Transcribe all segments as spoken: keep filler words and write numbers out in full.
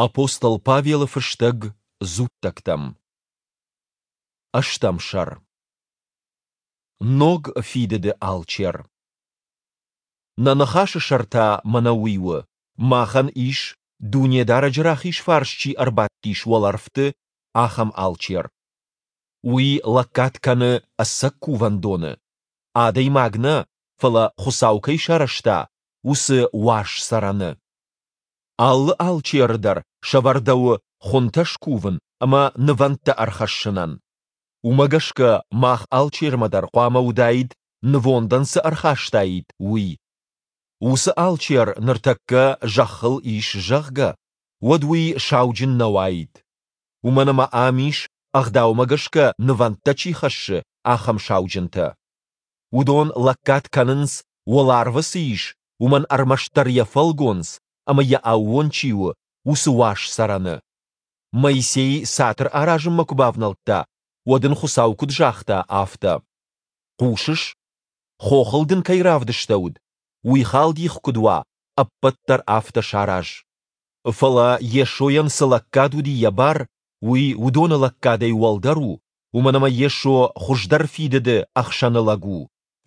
Апостол Павелы фыстӕг Дзуттӕгтӕм. Ӕстӕм сӕр. Ног фидыды алчер. Нӕ ныхасы сӕр та мӕнӕ уый у: махӕн ис, Дунедарӕджы рахиз фарс чи ӕрбадтис уӕлӕрвты, ахӕм алчер. Уый лӕггад кӕны ӕцӕг кувӕндоны, адӕймаг нӕ, фӕлӕ Хуыцау кӕй сарӕзта, уыцы уаз цӕрӕны. Алы алчеры дӕр сӕвӕрдӕуы хуынтӕ скувын ӕмӕ нывӕндтӕ ӕрхӕссынӕн. Уымӕ гӕсгӕ мах алчермӕ дӕр хъуамӕ уыдаид, нывондӕн цы ӕрхастаид, уый. Уыцы алчер ныртӕккӕ зӕххыл ис, зӕгъгӕ, уӕд уый сауджын нӕ уаид. Уымӕн ӕмӕ ам ис, Ӕгъдаумӕ гӕсгӕ нывӕндтӕ чи хӕссы, ахӕм сауджынтӕ. Уыдон лӕггад кӕнынц, уӕларвы цы ис, уымӕн ӕрмӕстдӕр йӕ фӕлгонц ӕмӕ йӕ аууон чи у, уыцы уаз цӕрӕны. Моисей цатыр аразынмӕ куы бавнӕлдта, уӕд ын Хуыцау куыд загъта, афтӕ: Хъусыс, хохыл дын кӕй равдыстӕуыд, уый халдих куыд уа, ӕппӕт дӕр афтӕ сараз. Фӕлӕ Йесойӕн цы лӕггад уыди йӕ бар, уый уыдоны лӕггадӕй уӕлдӕр у, уымӕн ӕмӕ Йесо хуыздӕр фидыды ӕхсӕнылӕг у,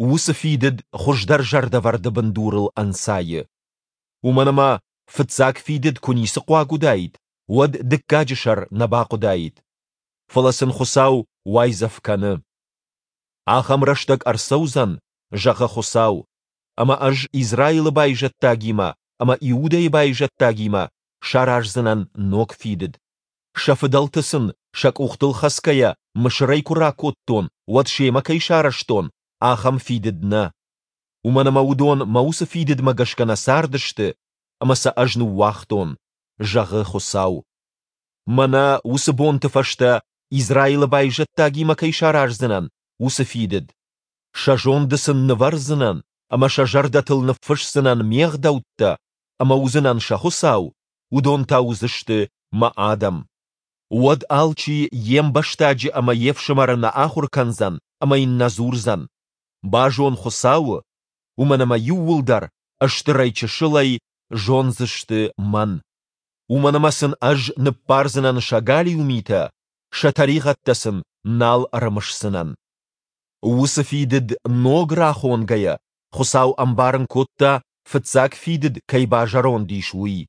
уыцы фидыд хуыздӕр зӕрдӕвӕрды бындурыл ӕнцайы. Уымӕн ӕмӕ фыццаг фидыд куы ницы хъуаг уыдаид, уӕд дыккаджы сӕр нӕ бахъуыдаид. Фӕлӕ сын Хуыцау уайдзӕф кӕны. Ахӕм рӕстӕг ӕрцӕудзӕн, зӕгъы Хуыцау, ӕмӕ ӕз Израилы байзӕддагимӕ ӕмӕ Иудӕйы байзӕддагимӕ сараздзынӕн ног фидыд. Сӕ фыдӕлты сын сӕ къухтыл хӕцгӕйӕ Мысырӕй куы ракодтон, уӕд семӕ кӕй сарӕзтон, ахӕм фидыд нӕ. Уымӕн ӕмӕ уыдон мӕ уыцы фидыдмӕ гӕсгӕ нӕ цардысты, ӕмӕ сӕ ӕз ныууагътон, зӕгъы Хуыцау. Мӕнӕ уыцы бонты фӕстӕ Израилы байзӕддагимӕ кӕй сараздзынӕн, уыцы фидыд. Сӕ зонды сын нывӕрдзынӕн ӕмӕ сӕ зӕрдӕтыл ныффысдзынӕн ме гъдӕуттӕ, ӕмӕ уыдзынӕн сӕ Хуыцау, уыдон та уыдзысты мӕ адӕм. Уӕд алчи йе мбӕстаджы ӕмӕ йе фсымӕры нӕ ахуыр кӕндзӕн ӕмӕ йын нӕ дзурдзӕн: «Базон Хуыцауы», уымӕн ӕмӕ иууылдӕр, стырӕй-чысылӕй, зондзысты мӕн. Уымӕн ӕмӕ сын ӕз ныббардзынӕн сӕ галиу митӕ, сӕ тӕригъӕдтӕ сын нал ӕрымысдзынӕн. Уыцы фидыд ног рахонгӕйӕ, Хуыцау ӕмбарын кодта, фыццаг фидыд кӕй базӕронд ис, уый.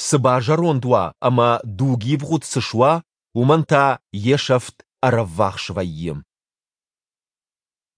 Цы базӕронд уа ӕмӕ дугивгъуыд цы суа, уымӕн та йе сӕфт ӕрӕввахс вӕййы.